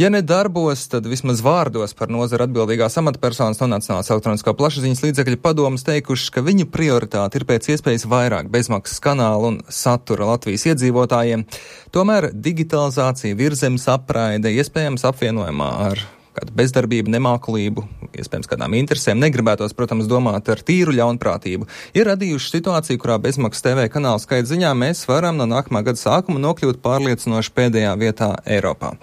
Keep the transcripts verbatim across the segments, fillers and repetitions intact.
Ja ne darbos, tad vismaz vārdos par nozara atbildīgās amatpersonas no Nacionālās elektroniskā plašsaziņas līdzekļu padomes teikuši, ka viņu prioritāte ir pēc iespējas vairāk bezmaksas kanālu un satura Latvijas iedzīvotājiem. Tomēr digitalizācija, virzemes apraide, iespējams apvienojumā ar kādu bezdarbību, nemākulību, iespējams kādām interesēm, negribētos, protams, domāt ar tīru ļaunprātību, ir radījuši situāciju, kurā bezmaksas T V kanāla skaita ziņā mēs varam no nākamā gada sākuma nokļūt pārliecinoši pēdējā vietā Eiropā.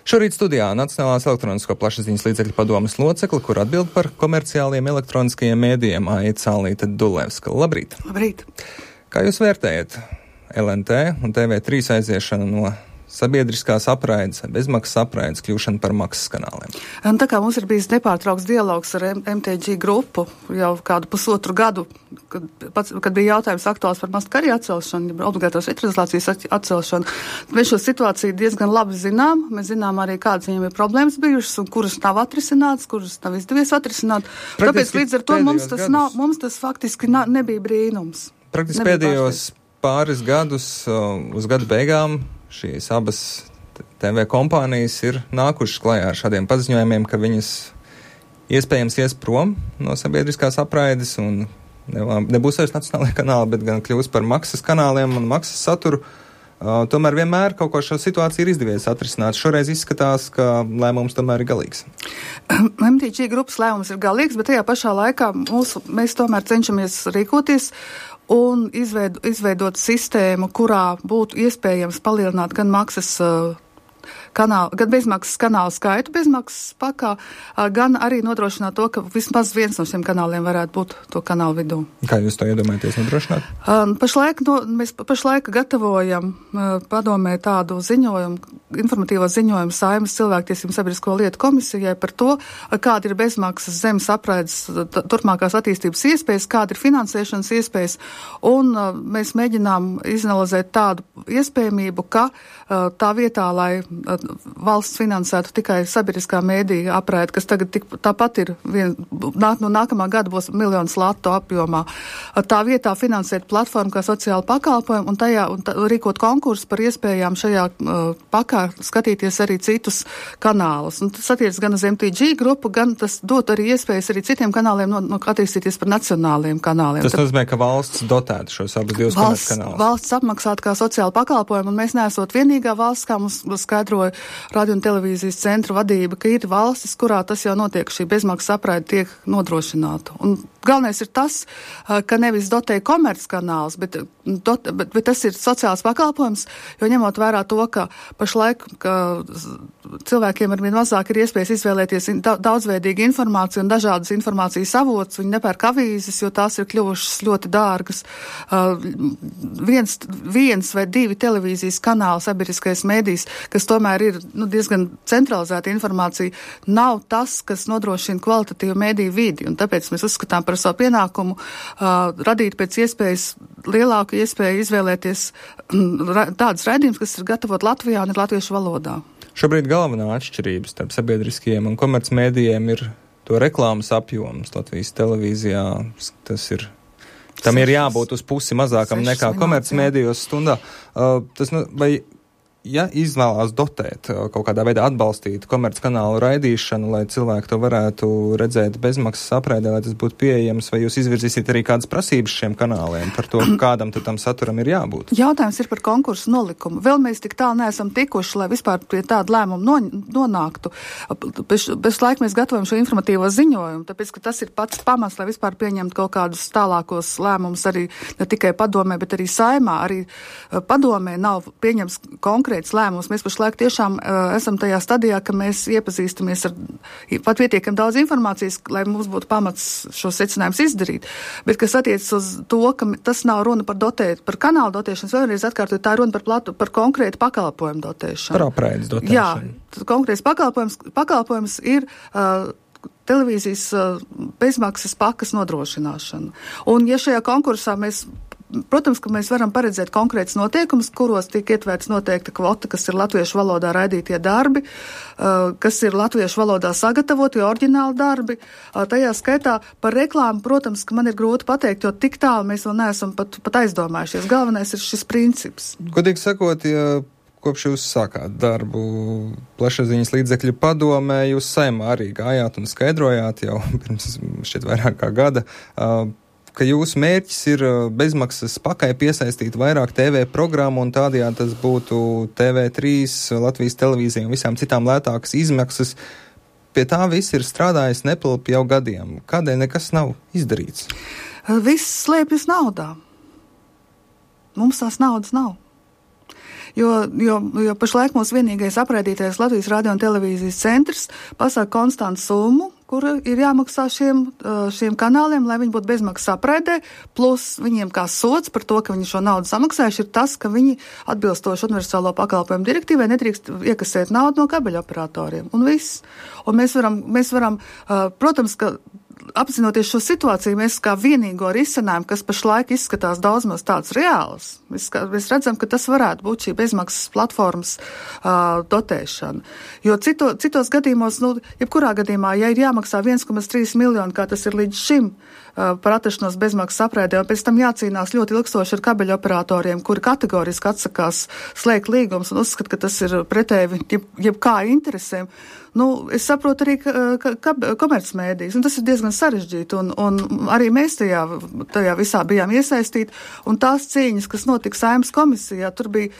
Šorīt studijā Nacionālās elektronisko plašsaziņas līdzekļu padomes locekli, kur atbild par komerciāliem elektroniskajiem mēdījiem, Aita Cālīte Dulevska. Labrīt! Labrīt! Kā jūs vērtējat L N T un T V trīs aiziešanu no sabiedriskās apraides, bezmaksas apraides kļūšana par maksas kanāliem? Un tā kā mums ir bijis nepārtraukts dialogs ar M T G grupu jau kādu pusotru gadu, kad, pats, kad bija jautājums aktuāls par mastkarī atcelšanu, obligātos vitrezolācijas atcelšanu, mēs šo situāciju diezgan labi zinām. Mēs zinām arī, kādas viņiem ir problēmas bijušas un kuras nav atrisināts, kuras nav izdevies atrisināt. Praktiski Tāpēc līdz ar to mums tas, nav, mums tas faktiski nav, nebija brīnums. Praktiski nebija pēdējos pārsteigts. Pāris gadus uz gadu beigām šīs abas T V kompānijas ir nākušas klajā ar šādiem paziņojumiem, ka viņas iespējams ies prom no sabiedriskās apraides un nebūs vairs nacionālajie kanāli, bet gan kļūs par maksas kanāliem un maksas saturu. Uh, tomēr vienmēr kaut ko šo situāciju ir izdevies atrisināt. Šoreiz izskatās, ka lēmums tomēr ir galīgs. M T G grupas lēmums ir galīgs, bet tajā pašā laikā mūsu, mēs tomēr cenšamies rīkoties un izveid, izveidot sistēmu, kurā būtu iespējams palielināt gan maksas uh, kanālu, gan bezmaksas kanālu skaitu bezmaksas pakā, uh, gan arī nodrošināt to, ka vismaz viens no šiem kanāliem varētu būt to kanālu vidū. Kā jūs to iedomājaties nodrošināt? Uh, pašlaik, no, mēs pašlaik gatavojam uh, padomē tādu ziņojumu, informatīvo ziņojumu Saeimas cilvēktiesību sabiedrisko lietu komisijai par to, uh, kāda ir bezmaksas zemes apraides t- turpmākās attīstības iespējas, kāda ir finansēšanas iespējas, un uh, mēs mēģinām izanalizēt tādu iespējamību, ka uh, tā vietā, lai uh, valsts finansētu tikai sabiedriskā mēdīja apraide, kas tagad tik, tāpat ir vien, nāk, no nākamā gada būs miljonus latu apjomā. Tā vietā finansēt platformu kā sociāla pakalpojumu un tajā un tā, rīkot konkursu par iespējām šajā uh, pakā skatīties arī citus kanālus. Un tas attiec gan uz M T G grupu, gan tas dot arī iespējas arī citiem kanāliem no, no attīstīties par nacionāliem kanāliem. Tas nozīmē, ka valsts dotētu šos abus divus komerc kanālus. Valsts apmaksātu kā sociāla pakalpojumu, un mēs neesot vienīgā valsts, kā mums skaidroja radio un televīzijas centra vadība, ka ir valstis, kurā tas jau notiek, šī bezmaksas apraide tiek nodrošināta. Un galvenais ir tas, ka nevis dotē komerc kanāls, bet, dot, bet, bet tas ir sociāls pakalpojums, jo ņemot vērā to, ka pašlaik ka cilvēkiem ar vien mazāk ir iespējas izvēlēties daudzveidīgu informāciju un dažādas informācijas avots, viņi nepērk avīzes, jo tās ir kļuvušas ļoti dārgas. Uh, viens, viens vai divi televīzijas kanāli sabiedriskais mēdījis, kas tomēr ir nu, diezgan centralizēta informācija, nav tas, kas nodrošina kvalitatīvu mēdīju vidi, un tāpēc mēs uzskatām par savu pienākumu uh, radīt pēc iespējas lielāku iespēju izvēlēties ra, tādas raidījumus, kas ir gatavot Latvijā un ir latviešu valodā. Šobrīd galvenā atšķirība starp sabiedriskajiem un komercmēdījiem ir to reklāmas apjoms Latvijas televīzijā. Tas ir, tam ir jābūt uz pusi mazākam nekā komercmēdījos stundā. Uh, tas, nu, vai ja izvēlās dotēt, kaut kādā veidā atbalstīt komerckanālu raidīšanu, lai cilvēki to varētu redzēt bezmaksas apraidē, lai tas būtu pieejams, vai jūs izvirzīsiet arī kādas prasības šiem kanāliem par to, kādam tad tam saturam ir jābūt? Jautājums ir par konkursu nolikumu. Vēl mēs tik tālu neesam tikuši, lai vispār pie tāda lēmuma no, nonāktu. Bez, bez laika mēs gatavojam šo informatīvo ziņojumu, tāpēc, ka tas ir pats pamats, lai vispār pieņemtu kaut kādus tālākos lēmumus arī ne tikai padomē, bet arī Saeimā. Arī padomē nav pieņems konkrēti lēmums. Mēs pašlaik tiešām uh, esam tajā stadijā, ka mēs iepazīstamies ar pat pietiekam daudz informācijas, lai mums būtu pamats šos secinājumus izdarīt. Bet, kas attiecas uz to, ka tas nav runa par dotēt, par kanālu dotēšanas, vēlreiz atkārtot, tā ir runa par, platu, par konkrētu pakalpojumu dotēšanu. Par apraides dotēšanu. Jā, konkrēts pakalpojums, pakalpojums ir uh, televīzijas uh, bezmaksas pakas nodrošināšana. Un ja šajā konkursā mēs Protams, ka mēs varam paredzēt konkrētus noteikumus, kuros tiek ietverts noteikta kvota, kas ir latviešu valodā raidītie darbi, kas ir latviešu valodā sagatavotie oriģināli darbi. Tajā skaitā par reklāmu, protams, ka man ir grūti pateikt, jo tik tālu mēs vēl neesam pat, pat aizdomājušies. Galvenais ir šis princips. Godīgi sakot, ja kopš jūs sākāt darbu plašsaziņas līdzekļu padomē, jūs Saeimā arī gājāt un skaidrojāt jau pirms šķiet vairāk kā gada, ka jūsu mērķis ir bezmaksas pakai piesaistīt vairāk T V programmu un tādējādi tas būtu T V trīs, Latvijas televīzija un visām citām lētākas izmaksas. Pie tā viss ir strādājis nepilpi jau gadiem. Kādēļ nekas nav izdarīts? Viss slēpjas naudā. Mums tās naudas nav. Jo, jo, jo pašlaik mūsu vienīgais apraidītais Latvijas radio un televīzijas centrs pasaka konstantu summu, kura ir jāmaksā šiem, šiem kanāliem, lai viņi būtu bezmaksas apraidē, plus viņiem kā sots par to, ka viņi šo naudu samaksājuši, ir tas, ka viņi atbilstoši universālo pakalpojumu direktīvai nedrīkst iekasēt naudu no kabeļoperatoriem. Un viss. Un mēs varam, mēs varam protams, ka apzinoties šo situāciju, mēs kā vienīgo risinājumu, kas pašlaik izskatās daudz maz tāds reāls, mēs, kā, mēs redzam, ka tas varētu būt šī bezmaksas platformas uh, dotēšana. Jo cito, citos gadījumos, nu, jebkurā gadījumā, ja ir jāmaksā viens komats trīs miljoni, kā tas ir līdz šim, uh, par atrašanos bezmaksas apraidē, un pēc tam jācīnās ļoti ilgstoši ar kabeļoperatoriem, kuri kategoriski atsakās slēgt līgumus un uzskata, ka tas ir pretēji jeb, jebkā interesēm. Nu, es saprotu arī ka, ka, ka, komercmēdijas, un tas ir diezgan sarežģīti, un, un arī mēs tajā, tajā visā bijām iesaistīti, un tās cīņas, kas notika Saeimas komisijā, tur bija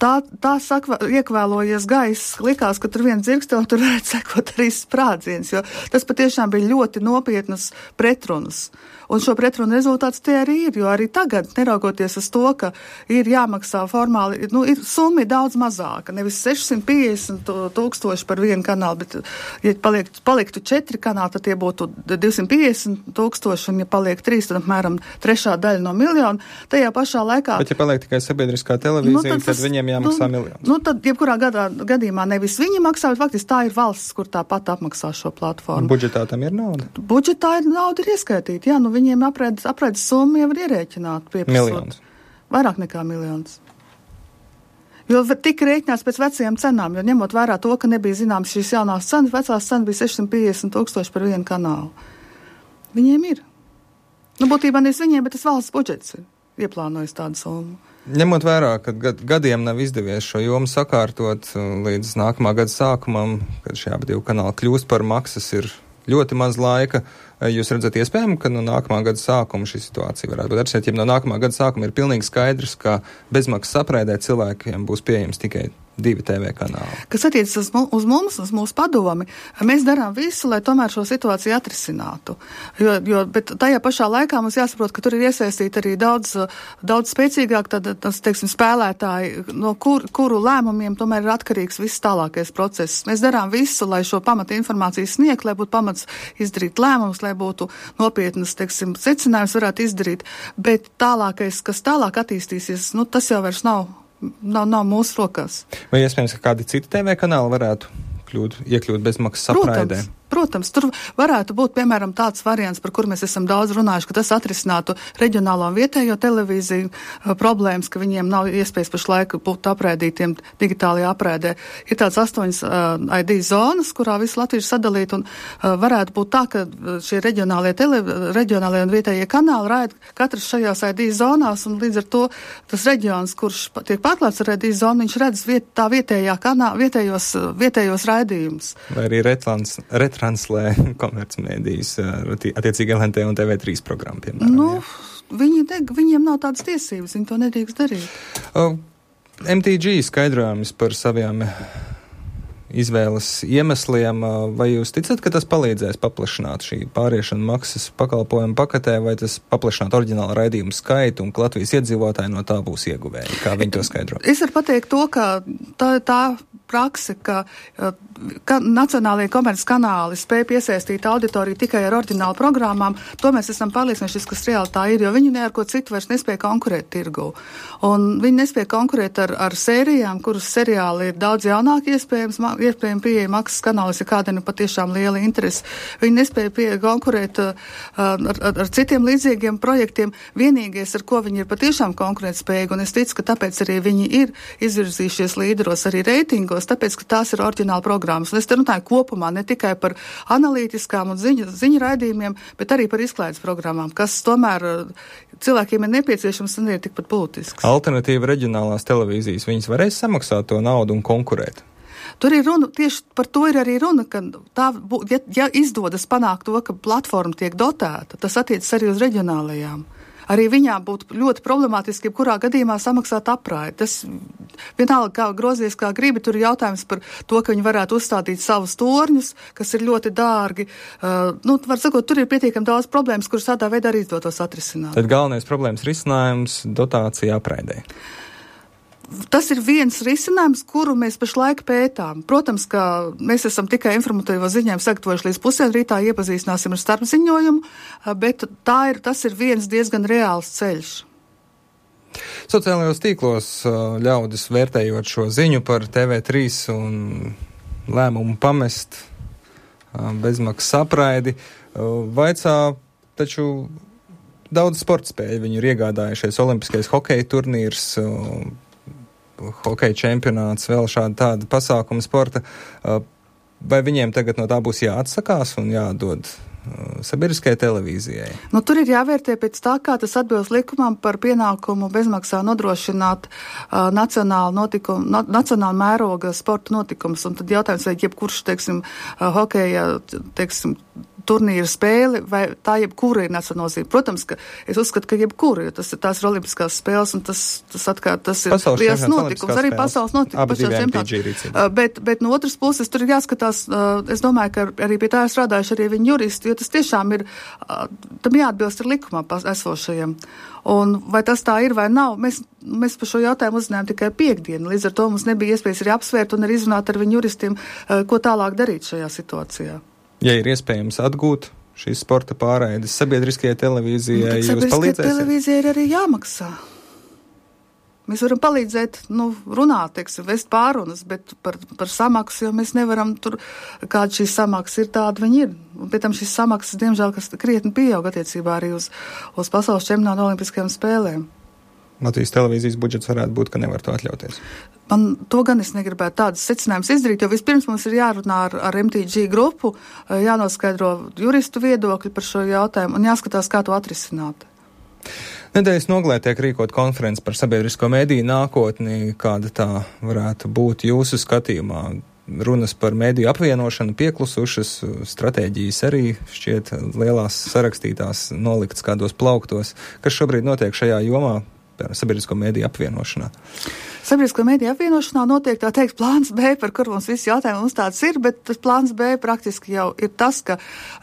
tā, tā sakva, iekvēlojies gaiss, likās, ka tur viens dzirkstē, un tur varētu sekot arī sprādziens, jo tas patiešām bija ļoti nopietnas pretrunas. Un šo pretrunu rezultāts tie arī ir, jo arī tagad, neraugoties uz to, ka ir jāmaksā formāli, nu, ir summa daudz mazāka, nevis sešsimt piecdesmit tūkstoši par vienu kanālu, bet, ja paliek, paliktu četri kanāli, tad tie būtu divsimt piecdesmit tūkstoši, un ja paliek trīs, tad apmēram trešā daļa no miljona. Tajā pašā laikā... Bet, ja paliek tikai sabiedriskā televīzija, nu, tad, tad tas, viņiem jāmaksā nu, miljons. Nu, tad, jebkurā gadā, gadījumā nevis viņi maksā, bet faktiski tā ir valsts, kur tāpat apmaksā šo platformu. Budžetā tam ir nauda? Budžetā ir nauda ir ieskaitīta, jā, nu, viņiem apraides, apraides summa jau ir ierēķināta. Miljons. Vairāk nekā miljons. Jo tika rēķināts pēc vecajām cenām, jo ņemot vērā to, ka nebija zināms šīs jaunās cenas, vecās cenas bija sešsimt piecdesmit tūkstoši par vienu kanālu. Viņiem ir. Nu, būtībā nevis viņiem, bet tas valsts budžets ir ieplānojis tādu summu. Ņemot vērā, ka gad, gadiem nav izdevies šo jomu sakārtot līdz nākamā gada sākumam, kad šie abi divi kanāli kļūst par maksas, ir ļoti maz laika. Jūs redzat iespējami, ka no nākamā gada sākuma šī situācija varētu būt atrisināt, ja no nākamā gada sākuma ir pilnīgi skaidrs, ka bezmaksas apraidē cilvēkiem būs pieejams tikai divi T V kanāli. Kas attiecas uz, uz mums, uz mūsu padomi, mēs darām visu, lai tomēr šo situāciju atrisinātu. Jo, jo, bet tajā pašā laikā mums jāsaprot, ka tur ir iesaistīti arī daudz, daudz spēcīgāk tad, tas, teiksim, spēlētāji, no kur, kuru lēmumiem tomēr ir atkarīgs viss tālākais process. Mēs darām visu, lai šo pamata informāciju sniegt, lai būtu pamats izdarīt lēmumus, lai būtu nopietnas, teiksim, secinājums varētu izdarīt, bet tālākais, kas tālāk attīstīsies, nu, tas jau vairs nav Nav, nav mūsu rokās. Vai iespējams, ka kādi citi T V kanāli varētu kļūt, iekļūt bezmaksas apraidē? Protams. Protams, tur varētu būt, piemēram, tāds variants, par kur mēs esam daudz runājuši, ka tas atrisinātu reģionālo un vietējo televīziju uh, problēmas, ka viņiem nav iespējas pašlaik būt apraidītiem digitālajā apraidē. Ir tāds astoņas uh, I D zonas, kurā visi latvieši sadalīt, un uh, varētu būt tā, ka šie reģionālie, tele, reģionālie un vietējie kanāli raida katrs šajās I D zonās, un līdz ar to tas reģions, kurš tiek pārklāts ar I D zonu, viņš redz viet, tā vietējā kanā, vietējos, vietējos raidījumus. Vai arī retrans, retrans translē komercmēdijas attiecīgi L N T un T V trīs programmu, piemēram. Nu, viņi ne, viņiem nav tādas tiesības, viņi to nedrīkst darīt. Uh, M T G skaidrojums par saviem izvēles iemesliem, vai jūs ticat, ka tas palīdzēs paplašināt šī pāriešana maksas pakalpojumu paketē, vai tas paplašināt oriģinālu raidījumu skaitu un Latvijas iedzīvotāji no tā būs ieguvēji? Kā viņi to skaidro? Es varu pateikt to, ka tā, tā prakse, ka, ka nacionālajie komerces kanāli spēj piesaistīt auditoriju tikai ar oriģinālu programmām, to mēs esam pārliecinājušies, kas reāli tā ir, jo viņi ne ar ko citu vairs nespēja konkurēt tirgu. Un viņi nespēja konkurēt ar, ar sērijām, kuras seriāli ir daudz jaunāki iespējams, iespējami pieeja maksas kanālis, ja kādiem ir patiešām liela interese. Viņi nespēja pie, konkurēt uh, ar, ar, ar citiem līdzīgiem projektiem. Vienīgais, ar ko viņi ir patiešām konkurētspējīgi, un es ticu, ka tāpēc arī viņi ir izvirzījušies līderos arī reitingos, skatos, tāpēc, ka tās ir oriģināla programmas. Un es te runāju kopumā ne tikai par analītiskām un ziņu, ziņu raidījumiem, bet arī par izklaides programmām, kas tomēr cilvēkiem ir nepieciešams un ir tikpat būtisks. Alternatīva reģionālās televīzijas, viņas varēs samaksāt to naudu un konkurēt? Tur ir runa, tieši par to ir arī runa, ka tā, ja, ja izdodas panākt to, ka platforma tiek dotēta, tas attiecas arī uz reģionālajām. Arī viņām būtu ļoti problemātiski, ja kurā gadījumā samaksāt apraidi. Tas vienalga, kā grozies, kā gribi, tur ir jautājums par to, ka viņi varētu uzstādīt savus torņus, kas ir ļoti dārgi. Uh, nu, var sakot, tur ir pietiekami daudz problēmas, kuras tādā veidā arī izdotos atrisināt. Tad galvenais problēmas risinājums dotācija apraidē. Tas ir viens risinājums, kuru mēs pašlaik pētām. Protams, ka mēs esam tikai informatīvo ziņojumu sagatavojuši līdz pusdien rītā, iepazīstināsim ar starpziņojumu, bet tā ir, tas ir viens diezgan reāls ceļš. Sociālajos tīklos ļaudis vērtējot šo ziņu par T V trīs un lēmumu pamest bezmaksas apraidi, vaicā taču daudz sportspēļu. Viņu ir iegādājušies olimpiskais hokeja turnīrs, hokeja čempionāts, vēl šāda tāda pasākuma sporta. Vai viņiem tagad no tā būs jāatsakās un jādod sabiedriskajai televīzijai? Nu, tur ir jāvērtē pēc tā, kā tas atbilst likumam par pienākumu bezmaksā nodrošināt uh, nacionālu notikumu, na, nacionālu mēroga sporta notikumus. Un tad jautājums, vai jebkurš, teiksim, uh, hokeja, teiksim, turnīra spēle, vai tā jebkura ir nacionāla nozīme. Protams, ka es uzskatu, ka jebkura, jo tas ir tās ir olimpiskās spēles, un tas, tas atkal, tas ir pasaules liels notikums, arī pasaules notikums. Bet, bet no otras puses tur ir jāskatās, uh, es domāju, ka arī pie tā ir strādājuši arī viņi juristi, jo tas tiešām ir, uh, tam jāatbilst ar likumā esošajiem. Un vai tas tā ir vai nav, mēs, mēs par šo jautājumu uzzinājām tikai piekdienu, līdz ar to mums nebija iespējas arī apsvērt un arī izrunāt ar viņu juristiem, uh, ko tālāk darīt šajā situācijā. Ja ir iespējams atgūt šīs sporta pārraides sabiedriskajai televīzijai, jūs palīdzēsiet? Sabiedriskajai televīzijai ir arī jāmaksā. Mēs varam palīdzēt, nu, runāt, teiksim, vest pārunas, bet par, par samaksu, jo mēs nevaram tur, kāda šīs samaksas ir, tāda viņi ir. Un pēc tam šīs samaksas, diemžēl, kas krietni pieaug attiecībā arī uz, uz pasaules čempionātu olimpiskajām spēlēm. Latvijas televīzijas budžets varētu būt, ka nevar to atļauties. Man to gan es negribētu tādas secinājumus izdarīt, jo vispirms mums ir jārunā ar, ar M T G grupu, jānoskaidro juristu viedokļi par šo jautājumu un jāskatās, kā to atrisināt. Nedēļas nogalē tiek rīkot konferences par sabiedrisko mediju nākotni, kāda tā varētu būt jūsu skatījumā. Runas par mediju apvienošanu pieklusušas, stratēģijas arī šķiet lielās sarakstītās, noliktas kādos plauktos. Kas šobrīd notiek šajā jomā? Sabiedrisko mediju apvienošanā. Sabiedrisko mediju apvienošanā notiek tā teikt plāns B, par kur mums visi jautājumi mums tāds ir, bet tas plāns B praktiski jau ir tas, ka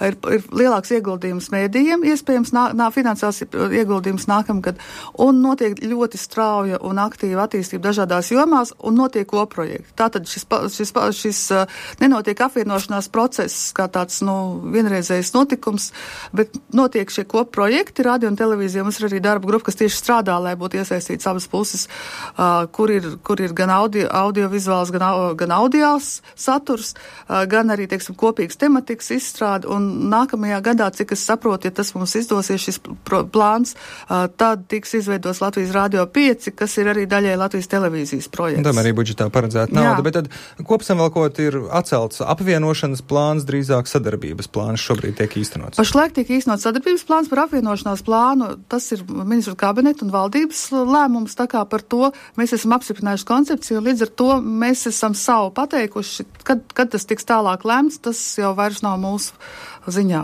ir, ir lielāks ieguldījums medijiem, iespējams nā, nā, finansās ieguldījums nākamgad, un notiek ļoti strauja un aktīva attīstība dažādās jomās, un notiek koprojekti. Tātad šis, šis, šis, šis nenotiek apvienošanās process kā tāds, nu, vienreizējs notikums, bet notiek šie koprojekti, radio un televīzija, mums ir arī darba grupa, kas tieši strādā, lai būtu iesaistīts abas puses, uh, kur ir, kur ir gan audio, audiovizuāls, gan, gan audiāls saturs, uh, gan arī, teiksim, kopīgs tematikas izstrāde, un nākamajā gadā, cik es saprotu, ja tas mums izdosies šis pro, plāns, uh, tad tiks izveidos Latvijas Radio pieci, kas ir arī daļai Latvijas televīzijas projekts. Un tam arī budžetā paredzēta nauda, Jā. Bet tad kopsavilkot ir atcelts apvienošanas plāns, drīzāk sadarbības plāns šobrīd tiek īstenots. Pašlaik tiek īstenots sadarbības plāns par apvienošanās plānu, tas ir ministru kabineta un valdības lēmums, tā kā par to mēs esam apstiprinājuši koncepciju, līdz ar to mēs esam savu pateikuši, kad, kad tas tiks tālāk lēmts, tas jau vairs nav mūsu ziņā.